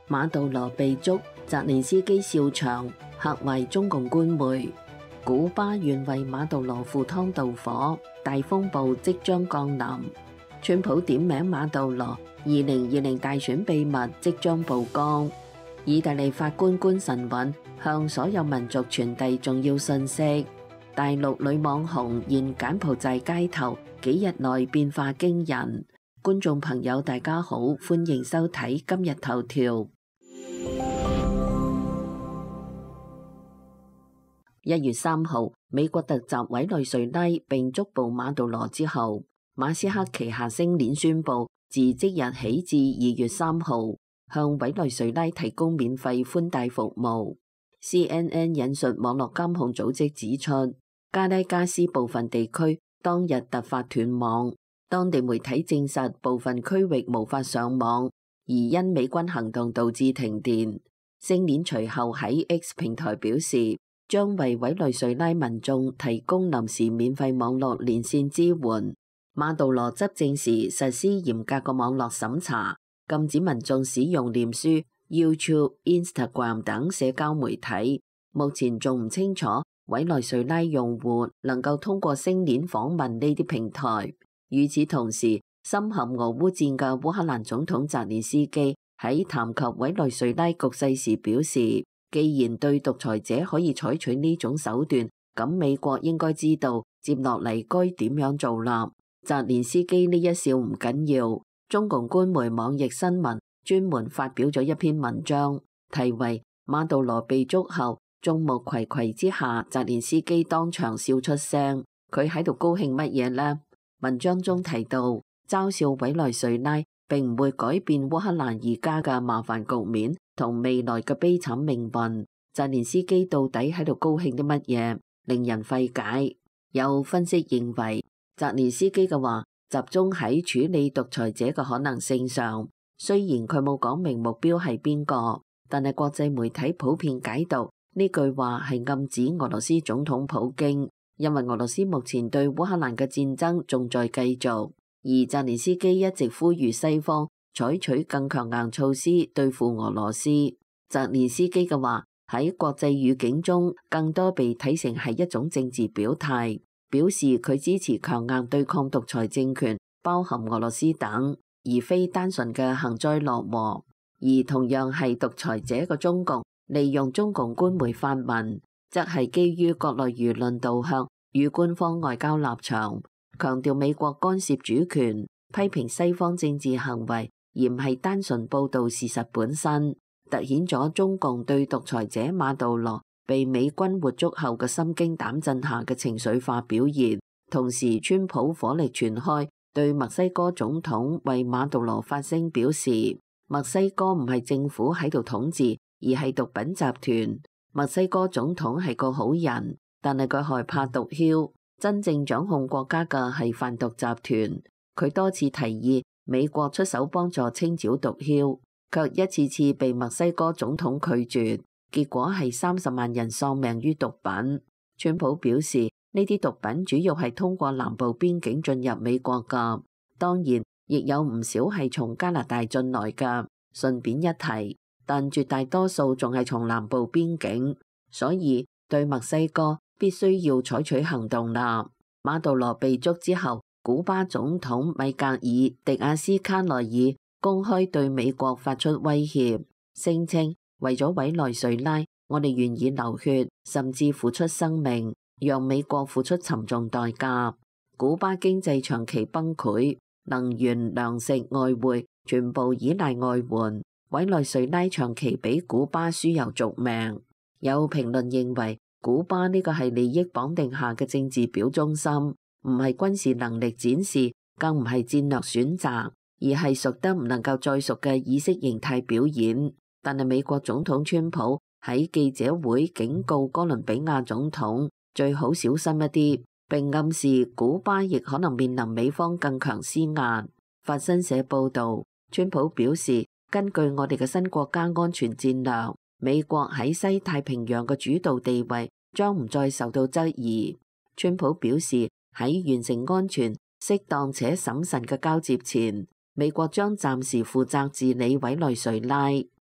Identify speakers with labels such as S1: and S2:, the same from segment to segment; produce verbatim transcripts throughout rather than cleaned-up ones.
S1: 馬杜羅被捉，澤連斯基笑場，嚇壞中共官媒。古巴願為馬杜羅赴湯蹈火，大風暴即將降臨。川普點名馬杜羅，二零二零大選秘密即將曝光。意大利法官官神韻向所有民族傳遞重要信息。大陸女網紅現柬埔寨街頭，幾日內變化驚人。觀眾朋友大家好，歡迎收睇今日頭條。一月三號，美國突襲委內瑞拉並捉捕馬杜羅之後，馬斯克旗下星鏈宣布，自即日起至二月三號，向委內瑞拉提供免費寬帶服務。C N N 引述網絡監控組織指出，加拉加斯部分地區當日突發斷網，當地媒體證實部分區域無法上網，而因美軍行動導致停電。星鏈隨後喺 X 平台表示，將為委內瑞拉民眾提供臨時免費網絡連線支援。馬杜羅執政時實施嚴格嘅網絡審查，禁止民眾使用臉書、YouTube、Instagram 等社交媒體。目前仲唔清楚委內瑞拉用戶能夠通過星鏈訪問呢啲平台。與此同時，深陷俄烏戰嘅烏克蘭總統澤連斯基喺談及委內瑞拉局勢時表示，既然對獨裁者可以採取呢種手段，咁美國應該知道接落嚟該點樣做啦。澤連斯基呢一笑唔緊要，中共官媒網易新聞專門發表咗一篇文章，題為馬杜羅被捉後，眾目睽睽之下，澤連斯基當場笑出聲，佢喺度高興乜嘢呢？文章中提到，嘲笑委內瑞拉並唔會改變烏克蘭而家嘅麻煩局面同未來嘅悲慘命運。澤連斯基到底喺度高興啲乜嘢，令人費解。有分析認為，澤連斯基嘅話集中喺處理獨裁者嘅可能性上，雖然佢冇講明目標係邊個，但係國際媒體普遍解讀呢句話係暗指俄羅斯總統普京，因為俄羅斯目前對烏克蘭嘅戰爭仲在繼續，而澤連斯基一直呼籲西方採取更強硬措施對付俄羅斯。澤連斯基嘅話喺國際語境中更多被睇成係一種政治表態，表示佢支持強硬對抗獨裁政權，包含俄羅斯等，而非單純嘅幸災樂禍。而同樣係獨裁者嘅中共，利用中共官媒發文，則係基於國內輿論導向與官方外交立場，強調美國干涉主權，批評西方政治行為，而唔係單純報導事實本身，凸顯咗中共對獨裁者馬杜羅被美軍活捉後嘅心驚膽震下嘅情緒化表現。同時，川普火力全開，對墨西哥總統為馬杜羅發聲表示，墨西哥唔係政府喺度統治，而係毒品集團。墨西哥總統係個好人，但係佢害怕毒梟，真正掌控國家嘅係販毒集團。佢多次提議美國出手幫助清剿毒梟，卻一次次被墨西哥總統拒絕，結果係三十萬人喪命於毒品。川普表示，呢啲毒品主要係通過南部邊境進入美國㗎，當然亦有唔少係從加拿大進來㗎。順便一提，但絕大多數仲係從南部邊境，所以對墨西哥必須要採取行動啦。馬杜羅被捉之後，古巴總統米格爾·迪亞斯卡內爾公開對美國發出威脅，聲稱為咗委內瑞拉，我哋願意流血，甚至付出生命，讓美國付出沉重代價。古巴經濟長期崩潰，能源、糧食、外匯全部依賴外援，委內瑞拉長期俾古巴輸油續命。有評論認為，古巴呢個係利益綁定下嘅政治表忠心，唔係軍事能力展示，更唔係戰略選擇，而係熟得唔能夠再熟嘅意識形態表演。但係美國總統川普喺記者會警告哥倫比亞總統最好小心一啲，並暗示古巴亦可能面臨美方更強施壓。法新社報導，川普表示，根據我哋嘅新國家安全戰略，美國喺西太平洋嘅主導地位將唔再受到質疑。川普表示，喺完成安全、適當且審慎嘅交接前，美國將暫時負責治理委內瑞拉。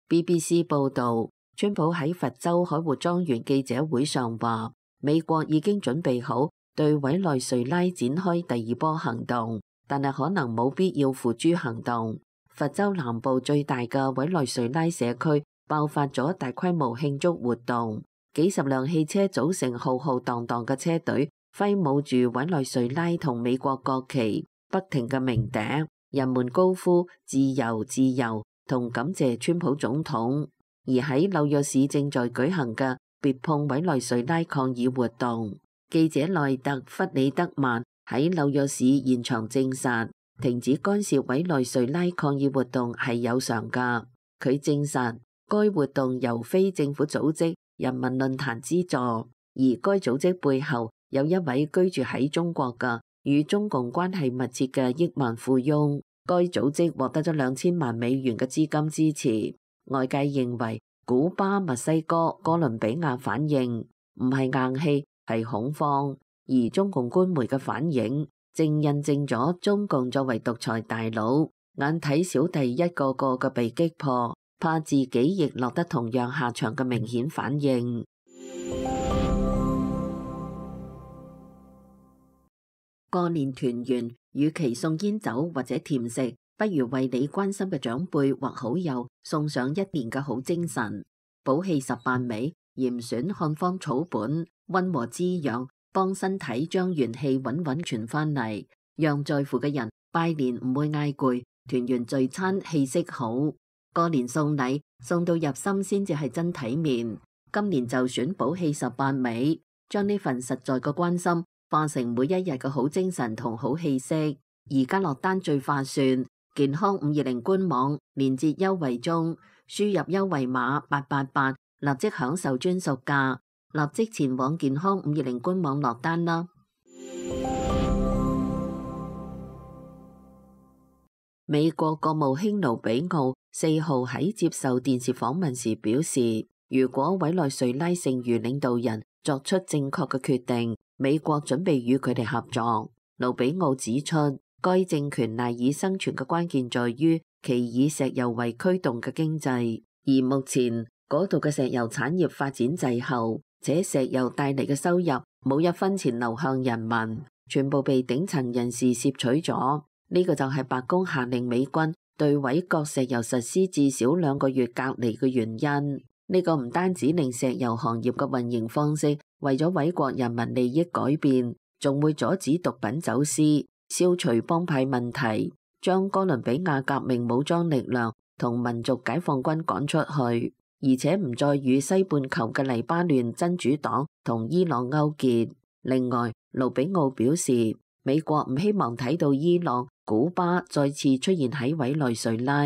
S1: B B C 報導，川普喺佛州海活莊園記者會上話，美國已經準備好對委內瑞拉展開第二波行動，但係可能冇必要付諸行動。佛州南部最大嘅委內瑞拉社區爆發咗大規模慶祝活動，幾十輛汽車組成浩浩蕩蕩嘅車隊，揮舞住委內瑞拉同美國國旗，不停嘅鳴笛，人們高呼自由自由同感謝川普總統。而喺紐約市正在舉行嘅別碰委內瑞拉抗議活動，記者內特·弗里德曼喺紐約市現場證實，停止干涉委內瑞拉抗議活動係有償㗎。佢證實該活動由非政府組織人民論壇資助，而該組織背後有一位居住喺中國嘅與中共關係密切嘅億萬富翁。該組織獲得咗兩千萬美元嘅資金支持。外界認為古巴、墨西哥、哥倫比亞反應唔係硬氣，係恐慌，而中共官媒嘅反應正印證咗中共作為獨裁大佬，眼睇小弟一個個嘅被擊破，怕自己亦落得同樣下場嘅明顯反應。過年團圓，與其送煙酒或者甜食，不如為你關心嘅長輩或好友送上一年嘅好精神。補氣十八味，嚴選漢方草本，溫和滋養，幫身體將元氣穩穩傳翻嚟，讓在乎嘅人拜年唔會嗌攰，團圓聚餐氣息好。過年送禮送到入心先至係真體面。今年就選補氣十八味，將呢份實在嘅關心化成每一日嘅好精神同好氣息。而家落單最划算，健康五二零官網連接優惠中，輸入優惠碼八八八，立即享受專屬價，立即前往健康五二零官網落單啦。美國國務卿盧比奧四號喺接受電視訪問時表示，如果委內瑞拉剩餘領導人作出正確嘅決定，美國準備與佢哋合作。盧比奧指出，該政權賴以生存嘅關鍵在於其以石油為驅動嘅經濟，而目前嗰度嘅石油產業發展滯後，且石油帶嚟嘅收入冇一分錢流向人民，全部被頂層人士攝取咗。呢個就係白宮下令美軍對委國石油實施至少兩個月隔離嘅原因。呢個唔單止令石油行業嘅運營方式為咗委國人民利益改變，仲會阻止毒品走私，消除幫派問題，將哥倫比亞革命武裝力量同民族解放軍趕出去，而且唔再與西半球嘅黎巴嫩真主黨同伊朗勾結。另外，盧比奧表示，美國唔希望睇到伊朗、古巴再次出現喺委內瑞拉。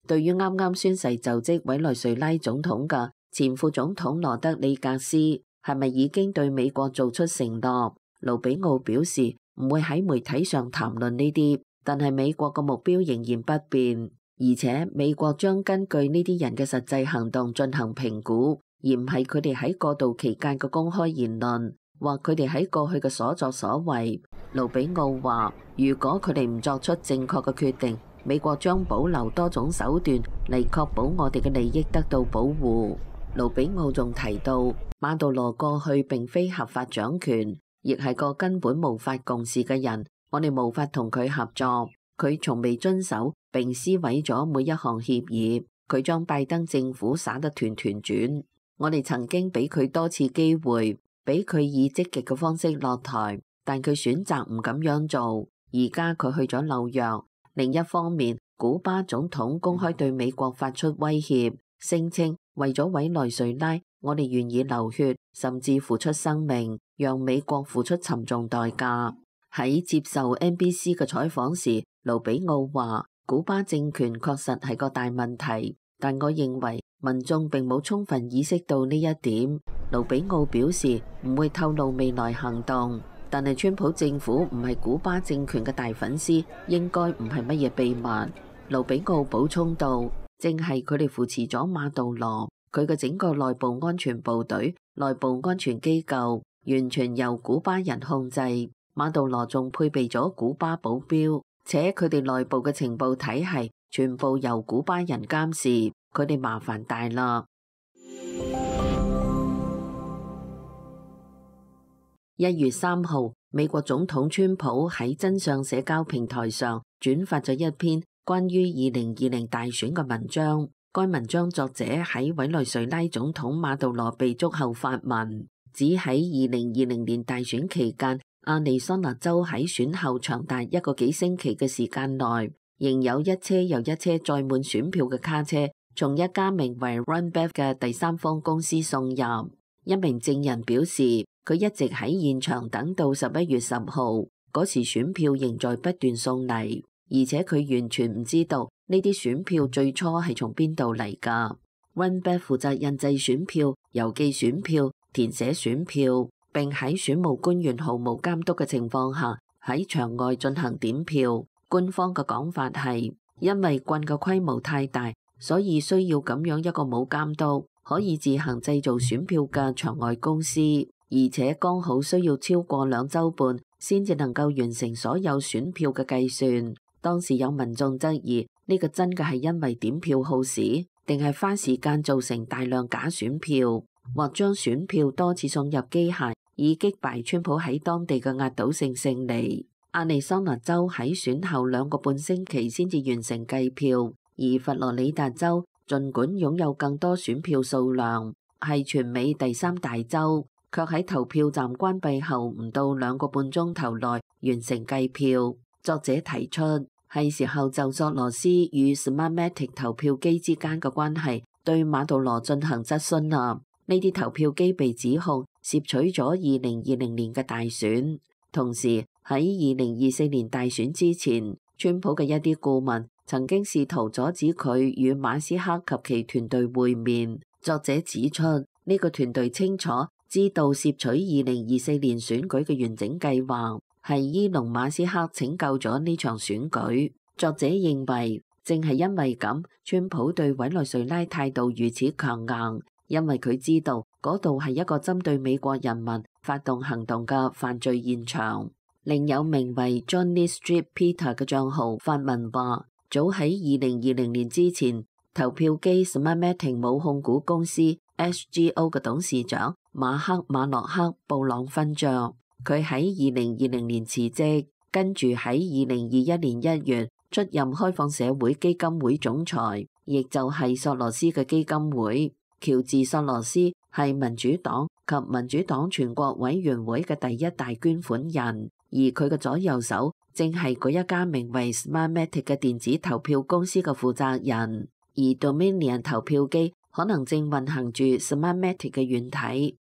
S1: 對於啱啱宣誓就職委內瑞拉總統嘅前副總統羅德里格斯，係咪已經對美國做出承諾？盧比奧表示唔會喺媒體上談論呢啲，但係美國嘅目標仍然不變，而且美國將根據呢啲人嘅實際行動進行評估，而唔係佢哋喺過渡期間嘅公開言論或佢哋喺過去嘅所作所為。盧比奧話，如果佢哋唔作出正確嘅決定，美國將保留多種手段嚟確保我哋嘅利益得到保護。盧比奧仲提到，馬杜羅過去並非合法掌權，亦係個根本無法共事嘅人，我哋無法同佢合作。佢從未遵守並撕毀咗每一項協議，佢將拜登政府耍得團團轉。我哋曾經俾佢多次機會，俾佢以積極嘅方式落台，但佢選擇唔咁樣做。而家佢去咗紐約。另一方面，古巴總統公開對美國發出威脅，聲稱為咗委內瑞拉，我哋願意流血，甚至付出生命，讓美國付出沉重代價。喺接受 N B C 嘅採訪時，盧比奧話，古巴政權確實係個大問題，但我認為民眾並冇充分意識到呢一點。盧比奧表示唔會透露未來行動，但係川普政府唔係古巴政權嘅大粉絲，應該唔係乜嘢秘密。盧比奧補充道，正係佢哋扶持咗馬杜羅，佢嘅整個內部安全部隊、內部安全機構完全由古巴人控制。馬杜羅仲配備咗古巴保鏢，且佢哋內部嘅情報體系全部由古巴人監視。佢哋麻煩大啦。一月三號，美國總統川普喺真相社交平台上轉發咗一篇關於二零二零大選嘅文章。該文章作者喺委內瑞拉總統馬杜羅被捉後發文，指喺二零二零年大選期間，亞利桑那州喺選後長達一個幾星期嘅時間內，仍有一車又一車載滿選票嘅卡車從一家名為 Runbev 嘅第三方公司送入。一名證人表示，佢一直喺現場等到十一月十號，嗰時選票仍在不斷送嚟，而且佢完全唔知道呢啲選票最初係從邊度嚟㗎。Runbev 負責印製選票、郵寄選票、填寫選票，並喺選務官員毫無監督嘅情況下喺場外進行點票。官方嘅講法係，因為郡嘅規模太大，所以需要咁樣一個冇監督，可以自行製造選票嘅場外公司，而且剛好需要超過兩週半先至能夠完成所有選票嘅計算。當時有民眾質疑呢個真嘅係因為點票耗時，定係花時間造成大量假選票，或將選票多次送入機械，以擊敗川普喺當地嘅壓倒性勝利。亞利桑那州喺選後兩個半星期先至完成計票，而佛羅里達州儘管擁有更多選票數量，係全美第三大州，卻喺投票站關閉後唔到兩個半鐘頭內完成計票。作者提出，係時候就索羅斯與 Smartmatic 投票機之間嘅關係對馬杜羅進行質詢啦。呢啲投票機被指控竊取咗二零二零年嘅大選，同時喺二零二四年大選之前，川普嘅一啲顧問曾經試圖阻止佢與馬斯克及其團隊會面。作者指出，呢個團隊清楚知道竊取二零二四年選舉嘅完整計劃，係伊隆馬斯克拯救咗呢場選舉。作者認為，正係因為咁，川普對委內瑞拉態度如此強硬，因為佢知道嗰度係一個針對美國人民發動行動嘅犯罪現場。另有名為 Johnny Street Peter 嘅帳號發文話，早喺二零二零年之前，投票機 Smartmatic 母控股公司 S G O 嘅董事長馬克馬洛克布朗勳爵，佢喺二零二零年辭職，跟住喺二零二一年一月出任開放社會基金會總裁，亦就係索羅斯嘅基金會。喬治索羅斯係民主黨及民主黨全國委員會嘅第一大捐款人，而佢嘅左右手正係嗰一家名為 Smartmatic 嘅電子投票公司嘅負責人，而 Dominion 投票機可能正運行住 Smartmatic 嘅軟體。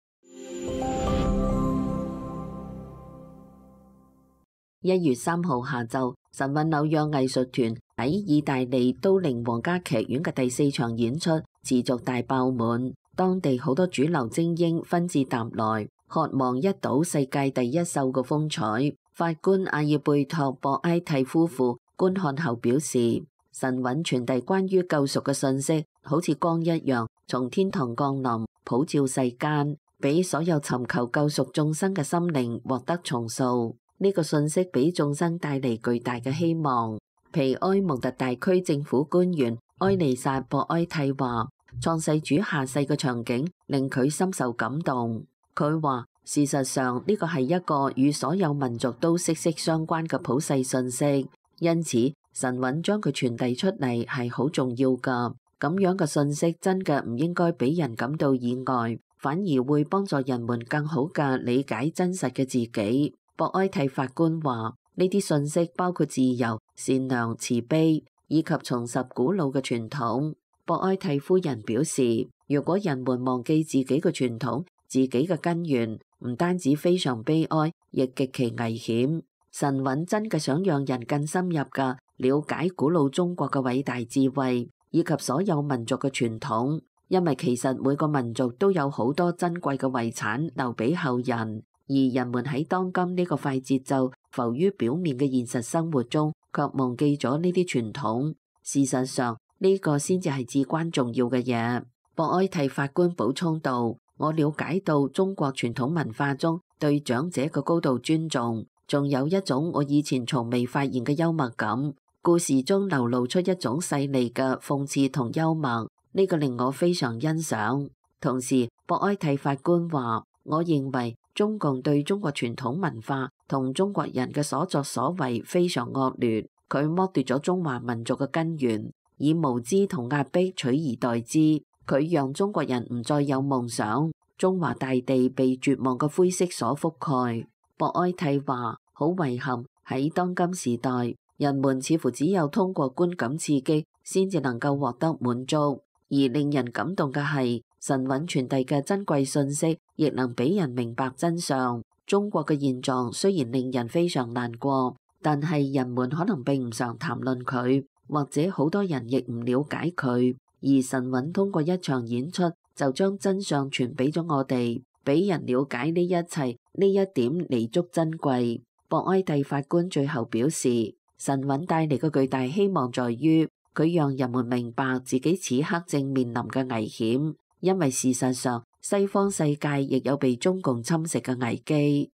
S1: 一月三號下晝，神韻紐約藝術團喺意大利都靈皇家劇院嘅第四場演出持續大爆滿，當地好多主流精英紛至沓來，渴望一睹世界第一秀嘅風采。法官阿爾貝托博埃蒂夫婦觀看後表示，神韻傳遞關於救贖嘅信息，好似光一樣從天堂降臨，普照世間，俾所有尋求救贖眾生嘅心靈獲得重塑。呢個信息俾眾生帶嚟巨大嘅希望。皮埃蒙特大區政府官員埃利薩博埃蒂話，創世主下世嘅場景令佢深受感動。佢話，事實上呢個係一個與所有民族都息息相關嘅普世信息，因此神韻將佢傳遞出嚟係好重要㗎。咁樣嘅信息真嘅唔應該俾人感到意外，反而會幫助人們更好嘅理解真實嘅自己。博埃蒂法官話，呢啲信息包括自由、善良、慈悲，以及重拾古老嘅傳統。博埃蒂夫人表示，如果人們忘記自己嘅傳統、自己嘅根源，唔單止非常悲哀，亦極其危險。神韻真嘅想讓人更深入嘅了解古老中國嘅偉大智慧，以及所有民族嘅傳統，因為其實每個民族都有好多珍貴嘅遺產留俾後人。而人們喺當今呢個快節奏浮於表面嘅現實生活中，卻忘記咗呢啲傳統。事實上，呢個先至係至關重要嘅嘢。博埃蒂法官補充道，我了解到中國傳統文化中對長者嘅高度尊重，仲有一種我以前從未發現嘅幽默感。故事中流露出一種細膩嘅諷刺同幽默。呢個令我非常欣賞。同時，博埃蒂法官話：我認為中共對中國傳統文化同中國人嘅所作所為非常惡劣，佢剝奪咗中華民族嘅根源，以無知同壓迫取而代之。佢讓中國人唔再有夢想，中華大地被絕望嘅灰色所覆蓋。博埃蒂話：好遺憾，喺當今時代，人們似乎只有通過觀感刺激先至能夠獲得滿足，而令人感動嘅係神韻傳遞嘅珍貴信息，亦能俾人明白真相。中國嘅現狀雖然令人非常難過，但係人們可能並唔常談論佢，或者好多人亦唔了解佢。而神韻通過一場演出，就將真相傳俾咗我哋，俾人了解呢一切，呢一點彌足珍貴。博埃蒂法官最後表示，神韻帶嚟嘅巨大希望在於，佢讓人們明白自己此刻正面臨嘅危險，因為事實上，西方世界亦有被中共侵蝕嘅危機。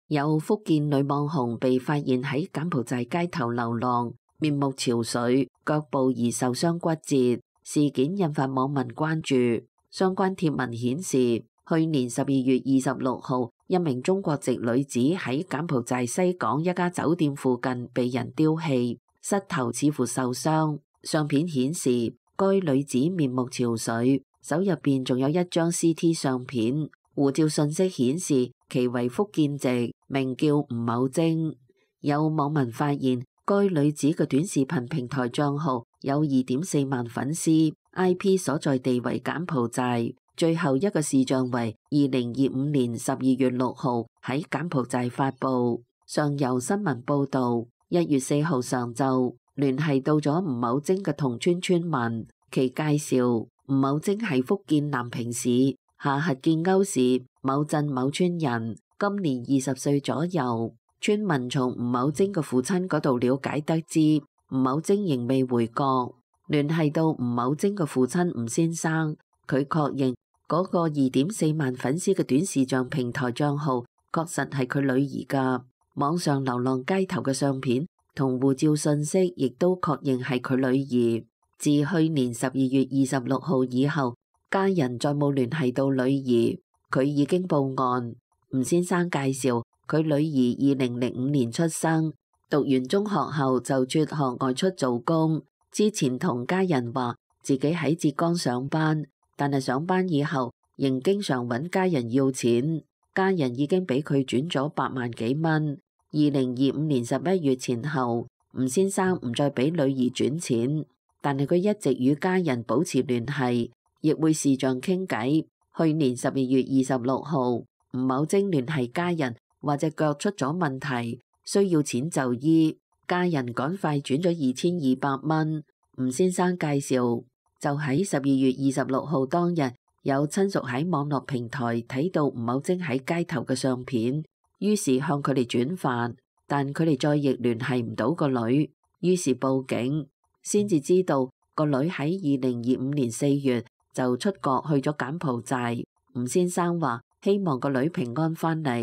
S1: 有福建女網紅被發現喺柬埔寨街頭流浪，面目憔悴，腳部疑受傷骨折，事件引發網民關注。相關貼文顯示，去年十二月二十六號，一名中國籍女子喺柬埔寨西港一家酒店附近被人丟棄，膝頭似乎受傷。相片顯示，該女子面目憔悴，手入邊仲有一張 C T 相片。護照信息顯示其為福建籍，名叫吳某晶。有網民發現，該女子嘅短視頻平台賬號有二點四萬粉絲 ，I P 所在地為柬埔寨。最後一個視像為二零二五年十二月六號喺柬埔寨發布。上游新聞報道，一月四號上晝聯繫到咗吳某晶嘅同村村民，其介紹吳某晶係福建南平市下轄建甌市某鎮某村人，今年二十歲左右。村民從吳某晶嘅父親嗰度了解得知，吳某晶仍未回國。聯繫到吳某晶嘅父親吳先生，佢確認嗰個二點四萬粉絲嘅短視像平台賬號確實係佢女兒㗎。網上流浪街頭嘅相片同護照信息亦都確認係佢女兒。自去年十二月二十六號以後，家人再冇聯繫到女兒，佢已經報案。吳先生介紹，佢女兒二零零五年出生，讀完中學後就輟學外出做工。之前同家人話自己喺浙江上班，但係上班以後仍經常揾家人要錢，家人已經俾佢轉咗八萬幾蚊。二零二五年十一月前後，吳先生唔再俾女兒轉錢，但係佢一直與家人保持聯繫，亦會視像傾偈。去年十二月二十六號，吳某晶聯繫家人話隻腳出咗問題，需要錢就醫，家人趕快轉咗二千二百蚊。吳先生介紹，就喺十二月二十六號當日，有親屬喺網絡平台睇到吳某晶喺街頭嘅相片，於是向佢哋轉發，但佢哋再亦聯繫唔到個女，於是報警，先至知道個女喺二零二五年四月就出國去咗柬埔寨。吳先生話希望個女平安返嚟。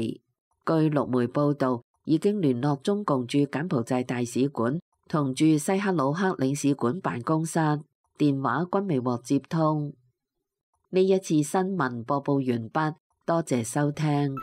S1: 據陸媒報道，已經聯絡中共駐柬埔寨大使館同駐西克魯克領事館辦公室，電話均未獲接通。呢一次新聞播報完畢，多謝收聽。